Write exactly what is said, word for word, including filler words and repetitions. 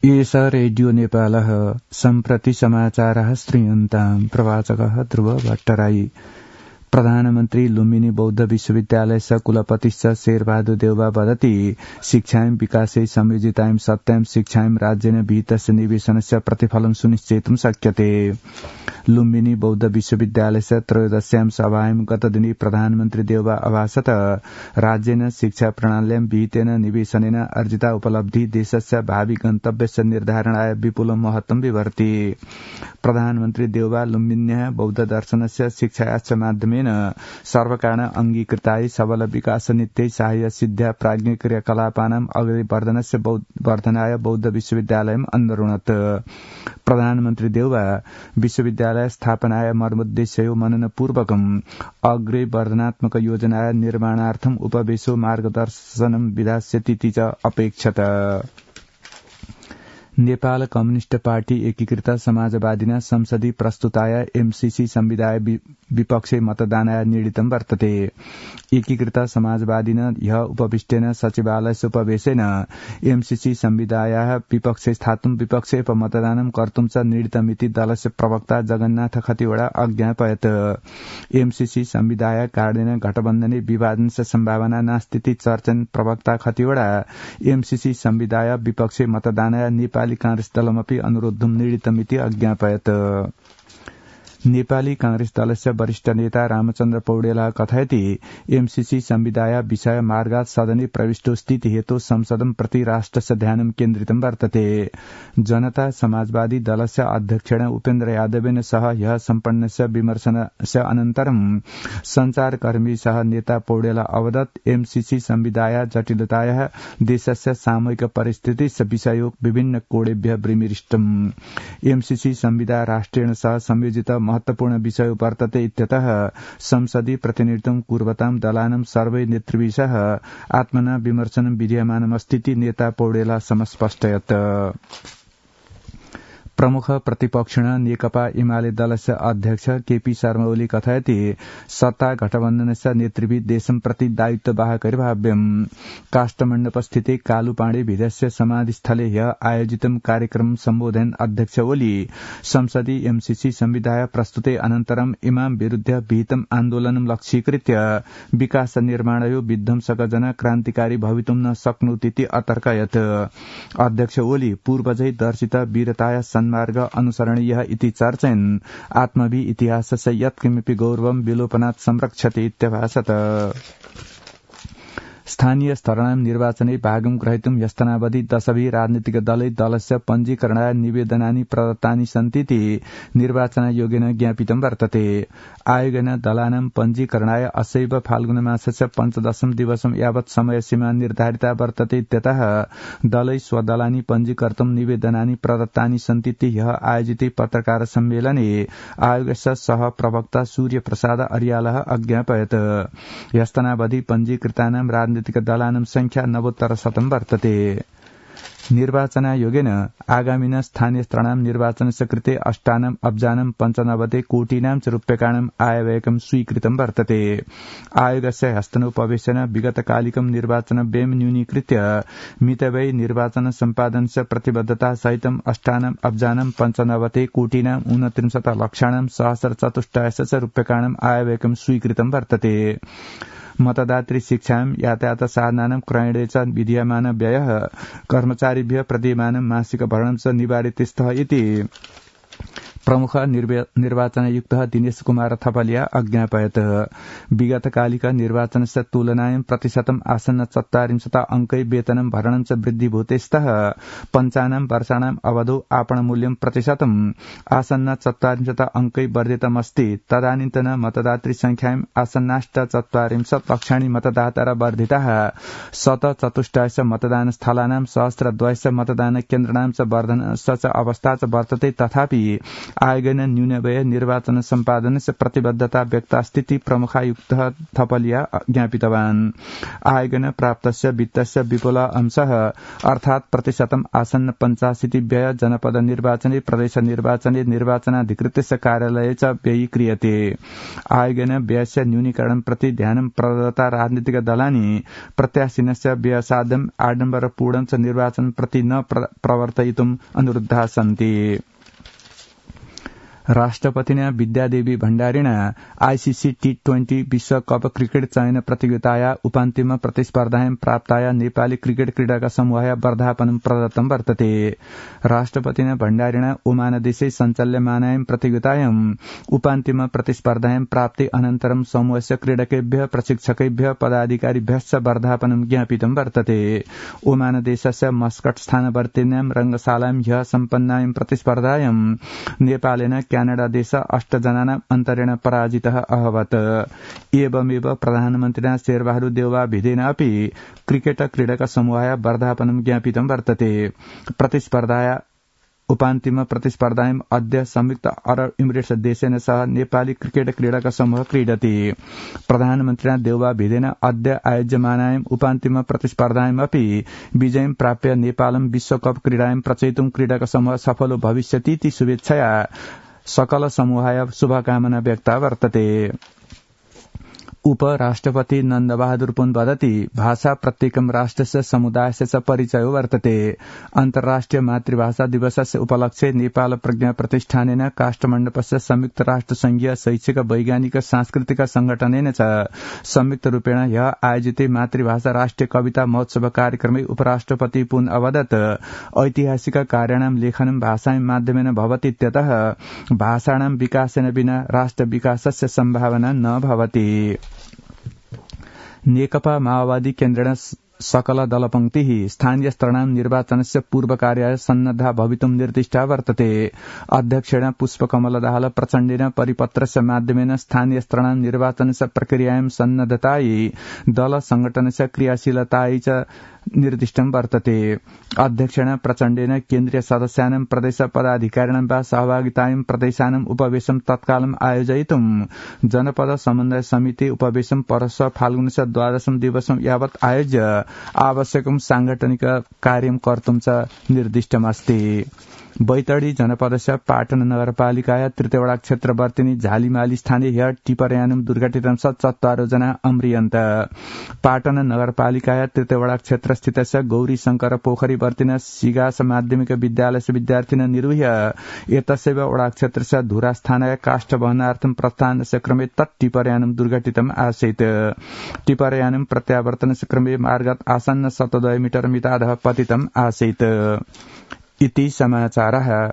एष रेडियो नेपालः सम्प्रति समाचारः श्रूयन्ताम् प्रवाचकः ध्रुव भट्टराई। प्रधानमन्त्री लुम्बिनी बौद्ध विश्वविद्यालयस्य कुलपतिश्च शेरबहादुर देउवा वदति शिक्षायां विकासे संयोजितायां सत्यां शिक्षायां राज्येन विहितस्य निवेशनस्य प्रतिफलं सुनिश्चेतुं शक्यते। लुम्बिनी बौद्ध विश्वविद्यालयस्य त्रयोदश्यां सभायां गतदिने प्रधानमन्त्री देउवा अभाषत राज्येन शिक्षा प्रणाल्यां विहितेन निवेशनेन अर्जिता उपलब्धि देशस्य भावी गन्तव्यस्य निर्धारणाय विपुलं महत्त्वं विवर्ति। प्रधानमन्त्री देउवा लुम्बिन्याः बौद्ध दर्शनस्य शिक्षायाश्च माध्यमेन सर्वकारण अंगीकृताय सबल विकास नित्यै साहाय्य सिद्ध्या प्राज्ञिक क्रियाकलापानाम् अग्रवर्धनस्य वर्धनाय बौद्ध विश्वविद्यालयम् अनरुणत्। प्रधानमन्त्री देउवा विश्वविद्यालय स्थापनाय मर्मोद्देश्यो मननपूर्वकम् अग्रे वर्धनात्मक योजनाय निर्माणार्थम् उपवेशो मार्गदर्शनं विधास्यतीति च अपेक्षत। नेपाल कम्युनिष्ट पार्टी एकीकृत समाजवादिना संसदीय प्रस्तुताय एमसीसी संविधाय विपक्षे मतदानाय निर्णीतं वर्तते। एकीकृत समाजवादिना ह्य उपविष्टेन सचिवालयस्य उपवेशेन एमसीसी संविधायाः विपक्षे स्थातुं विपक्षे उपमतदानं कर्तुं च निर्णीतमिति दलस्य प्रवक्ता जगन्नाथ खतिवड़ा अज्ञापयत्। एमसीसी संविधाय कारणेन गठबन्धने विभाजनस्य सम्भावना नास्तीति चर्चन प्रवक्ता खतिवड़ा एमसीसी संविधाय विपक्षे मतदानाय नेपाल कांग्रेस दलमपि अनुरोधं निर्णीतमिति अज्ञापयत्। नेपाली कांग्रेस दलस्य वरिष्ठ नेता रामचन्द्र पौडेलः कथयति एमसीसी संविधाय विषय मार्गात् सदने प्रविष्टोस्तीति हेतु संसदं प्रति राष्ट्रस्य ध्यानं केन्द्रितं वर्तते। जनता समाजवादी दलस्य अध्यक्षेण उपेन्द्र यादवेन सह ह्यः सम्पन्नस्य विमर्शनस्य अनन्तरं संचारकर्मी सह नेता पौडेल अवदत् एमसीसी संविधाय जटिलतायाः देशस्य सामूहिक परिस्थितिस्य विषयो विभिन्न कोणेभ्यः विमृष्टम्। एमसीसी संविधा राष्ट्रेण सह संयोजित महत्वपूर्ण विषय वर्तते इत्यतः संसदीय प्रतिनिधित्वं कुर्वतां दलानां सर्वै नेतृभिः आत्मना विमर्शनं विधीयमानमस्तीति नेता पौडेल समस्पष्टयत्। प्रमुख प्रतिपक्षिण नेकपा एमाले दलस्य अध्यक्ष केपी शर्मा ओली कथयति सत्ता गठबन्धनस्य नेतृभिः देशं प्रति दायित्ववाहकैर्भाव्यम्। काष्ठमण्डपस्थिते कालुपाण्डे भिदस्य समाधिस्थले ह्यः आयोजितं कार्यक्रम सम्बोधयन् अध्यक्ष ओली संसदीय एमसीसी संविधाय प्रस्तुते अनन्तरम् इमां विरुद्ध विहितम् आन्दोलनं लक्ष्यीकृत्य विकास निर्माणयो विध्वंसकजना क्रान्तिकारी भवितुं न शक्नोतीति अतर्कयत्। अध्यक्ष ओली पूर्वजै दर्शित वीरताय मार्ग अनुसरणीयः इति चर्चयन् आत्मभि इतिहासस्य यत्किमपि गौरवं विलोपनात् संरक्षते इत्यभाषत। स्थानीय स्तराणां निर्वाचने भागं ग्रहीतुं ह्यस्तनावधि दशभिः राजनीतिक दलै दलस्य पञ्जीकरणाय निवेदनानि प्रदत्तानि सन्तीति निर्वाचनायोगेन ज्ञापितं वर्तते। आयोगेन दलानां पञ्जीकरणाय असैव फाल्गुनमासस्य पञ्चदशं दिवसं यावत् समयसीमा निर्धारिता वर्तते इत्यतः दलै स्वदलानि पञ्जीकर्तुं निवेदनानि प्रदत्तानि सन्तीति ह्यः आयोजिते पत्रकार सम्मेलने आयोगस्य सह प्रवक्ता सूर्य प्रसाद अर्यालः अज्ञापयत्। ह्यस्तनावधि पञ्जीकृतानां राजनीतिक दलानां संख्या नवोत्तर शतं वर्तते। निर्वाचनायोगेन आगामिन स्थानीय स्तराणां निर्वाचनस्य कृते अष्टानाम् अब्जानां पञ्चनवति कोटीनां च रूप्यकाणाम् आयव्ययकं स्वीकृतं वर्तते। आयोगस्य हस्तनोपवेशेन विगतकालिकं निर्वाचन व्ययं न्यूनीकृत्य मितव्ययी निर्वाचन सम्पादनस्य प्रतिबद्धता सहितम् अष्टानाम् अब्जानां पञ्चनवति कोटीनां ऊनत्रिंशत् लक्षाणां सहस्रचतुष्टयस्य च रूप्यकाणाम् आयव्ययकं स्वीकृतं वर्तते। मतदातृ शिक्षायां यातायात साधनानां क्रयणे च विधीयमान व्ययः कर्मचारिभ्यः प्रदीयमानं मासिक भरणं च निवारित स्तः इति प्रमुख निर्वाचनायुक्तः दिनेश कुमार थपलिया अज्ञापयत्। विगतकालिक निर्वाचनस्य तुलनायां प्रतिशतम् आसन्न चत्वारिंशत् अंकै वेतनं भरणं च वृद्धिभूते स्तः। पञ्चानां वर्षाणाम् अवधौ आपणमूल्यं प्रतिशतम् आसन्न चत्वारिंशत् अंकै वर्धितमस्ति। तदानीन्तन मतदातृ संख्यायाम् आसन्नाष्ट चत्वारिंशत् लक्षाणि मतदातार वर्धिताः। शत चतुष्टयस्य मतदान स्थलानां सहस्रद्वयस्य मतदान केन्द्राणां च वर्धनस्य च अवस्था च वर्तते। तथापि आयोगेन न्यूनव्यय निर्वाचन सम्पादनस्य प्रतिबद्धता व्यक्ता स्थिति प्रमुखायुक्तः थपलिया ज्ञापितवान्। आयोगेन प्राप्तस्य वित्तस्य विपुल अंशः अर्थात् प्रतिशतम् आसन्न पञ्चाशीति व्यय जनपद निर्वाचने प्रदेश निर्वाचने निर्वाचनाधिकृतस्य कार्यालये च व्ययीक्रियते। आयोगेन व्ययस्य न्यूनीकरणं प्रति ध्यानं प्रदत्ता राजनीतिक दलानि प्रत्याशिनस्य व्ययसाध्यम् आडम्बरपूर्णं च निर्वाचन प्रति न प्रवर्तयितुम् अनुरुद्धाः सन्ति। राष्ट्रपतिना विद्यादेवी भण्डारिणा आईसीसी टी ट्वेन्टी विश्वकप क्रिकेट चयन प्रतियोगिताया उपान्तिम प्रतिस्पर्धायां प्राप्ताया नेपाली क्रिकेट क्रीडाका समूहाय वर्धापनं प्रदत्तं वर्तते। राष्ट्रपतिना भण्डारिणा ओमानदेशे सञ्चाल्यमानायां प्रतियोगितायां उपान्तिम प्रतिस्पर्धायां प्राप्ति अनन्तरं समूहस्य क्रीडकेभ्यः प्रशिक्षकेभ्यः पदाधिकारिभ्यश्च वर्धापनं ज्ञापितं वर्तते। ओमानदेशस्य मस्कट स्थानवर्तिन्यां रंगशालायां ह्यः सम्पन्नायां प्रतिस्पर्धायां नेपालेन क्यानाडा देश अष्टजनानाम् अन्तरेण पराजितः अभवत्। एवमेव प्रधानमन्त्रिणा शेरबहादुर देउवा भिदेन अपि क्रिकेट क्रीडक समूहाय वर्धापनं ज्ञापितं वर्तते। प्रतिस्पर्धाया उपान्तिम प्रतिस्पर्धायाम् अद्य संयुक्त अरब इमिरेट्स देशेन सह नेपाली क्रिकेट क्रीडक समूह क्रीडति। प्रधानमन्त्रिणा देउवा भिदेन अद्य आयोज्यमानायाम् उपान्तिम प्रतिस्पर्धायाम् अपि विजयं प्राप्य नेपालं विश्वकप क्रीडायां प्रचयितुं क्रीडक समूह सफलो भविष्यतीति शुभेच्छया सकल समूहाय शुभकामना व्यक्ता वर्तते। उपराष्ट्रपति नन्दबहादुर पुन वदति भाषा प्रत्येकं राष्ट्रस्य समुदायस्य च परिचयो वर्तते। अन्तर्राष्ट्रिय मातृभाषा दिवसस्य उपलक्ष्ये नेपाल प्रज्ञा प्रतिष्ठानेन काष्ठमण्डपस्य संयुक्त राष्ट्र संघीय शैक्षिक वैज्ञानिक सांस्कृतिक संगठनेन च संयुक्त रूपेण ह्यः आयोजिते मातृभाषा राष्ट्रिय कविता महोत्सव कार्यक्रमे उपराष्ट्रपति पुन अवदत् ऐतिहासिक कार्याणां लेखनं भाषायां माध्यमेन भवति इत्यतः भाषाणां विकासेन विना राष्ट्र विकासस्य सम्भावना न भवति। नेकपा माओवादी केन्द्रेण सकल दलपंक्तिः स्थानीय स्तराणां निर्वाचनस्य पूर्वकार्याय सन्नद्धा भवितुं निर्दिष्टा वर्तते। अध्यक्षेण पुष्पकमल दाहाल प्रचण्डेन परिपत्रस्य माध्यमेन स्थानीय स्तराणां निर्वाचनस्य प्रक्रियायां सन्नद्धतायै दल संगठनस्य क्रियाशीलतायै च निर्दिष्टं वर्तते। अध्यक्षेण प्रचण्डेन केन्द्रीय सदस्यानां प्रदेश पदाधिकारिणां वा सहभागितायां प्रदेशानां उपवेशनं तत्कालं आयोजयितुं जनपद समन्वय समिति उपवेशनं परश्व फाल्गुनस्य द्वादशं दिवसं यावत् आयोज्य आवश्यकं सांगठनिक कार्यं कर्तुं च निर्दिष्टमस्ति। बैतडी जनपदस्य पाटन नगरपालिकाया तृतीयवडा क्षेत्रवर्तिनी झालिमाली स्थाने ह्यः टिपरयानं दुर्घटितं स चत्वारो जना अम्रियन्त। पाटन नगरपालिकाया तृतीयवडा क्षेत्रस्थितस्य गौरी शंकर पोखरी वर्तिन सिगास माध्यमिक विद्यालयस्य विद्यार्थिनः निरूह्य एतस्यैव वडा क्षेत्रस्य धुरास्थानाय काष्ठ वहनार्थं प्रस्थानस्य क्रमे तत् टिपरयानं दुर्घटितम् आसीत्। टिपरयानं प्रत्यावर्तनस्य क्रमे मार्गात् आसन्न शतद्वय मीटर मितादः पतितम् आसीत्। इति समाचारः।